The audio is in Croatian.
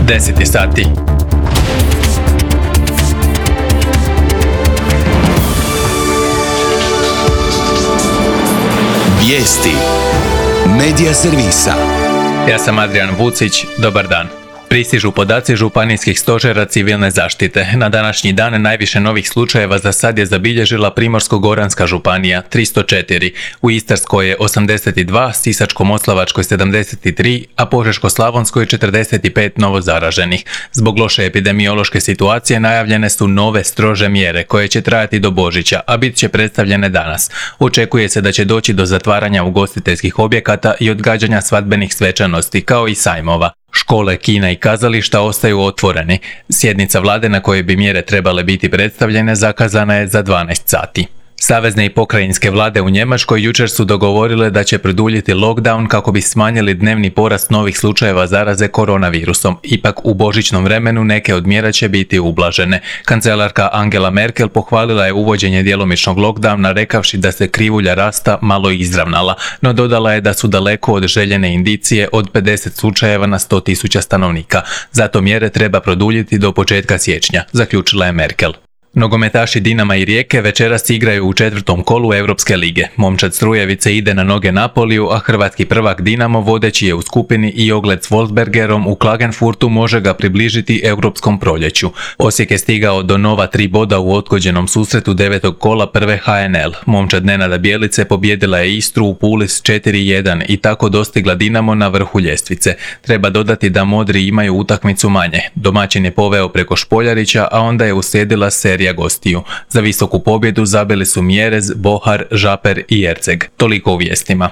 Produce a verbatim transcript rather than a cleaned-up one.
deset je sati. Vijesti Medija servisa. Ja sam Adrian Vucić, dobar dan. Pristižu podaci županijskih stožera civilne zaštite. Na današnji dan najviše novih slučajeva za sad je zabilježila Primorsko-goranska županija, tristo četiri, u Istarskoj je osamdeset dva, Sisačko-moslavačkoj sedamdeset tri, a Požeško-slavonskoj četrdeset pet novo zaraženih. Zbog loše epidemiološke situacije najavljene su nove strože mjere koje će trajati do Božića, a bit će predstavljene danas. Očekuje se da će doći do zatvaranja ugostiteljskih objekata i odgađanja svadbenih svečanosti, kao i sajmova. Škole, kina i kazališta ostaju otvoreni. Sjednica vlade na kojoj bi mjere trebale biti predstavljene zakazana je za dvanaest sati. Savezne i pokrajinske vlade u Njemačkoj jučer su dogovorile da će produljiti lockdown kako bi smanjili dnevni porast novih slučajeva zaraze koronavirusom. Ipak u božićnom vremenu neke od mjera će biti ublažene. Kancelarka Angela Merkel pohvalila je uvođenje djelomičnog lockdowna rekavši da se krivulja rasta malo izravnala, no dodala je da su daleko od željene indicije od pedeset slučajeva na sto tisuća stanovnika. Zato mjere treba produljiti do početka siječnja, zaključila je Merkel. Nogometaši Dinama i Rijeke večeras igraju u četvrtom kolu Europske lige. Momčad Strujevice ide na noge Napoliju, a hrvatski prvak Dinamo vodeći je u skupini i ogled s Wolfsbergerom u Klagenfurtu može ga približiti europskom proljeću. Osijek je stigao do nova tri boda u odgođenom susretu devetog kola prve H N L. Momčad Nenada Bjelice pobijedila je Istru u Puli s četiri jedan i tako dostigla Dinamo na vrhu ljestvice. Treba dodati da Modri imaju utakmicu manje. Domaćin je poveo preko Špoljarića, a onda je uslijedila serija gostiju. Za visoku pobjedu zabili su Mjerez, Bohar, Žaper i Erceg. Toliko u vijestima.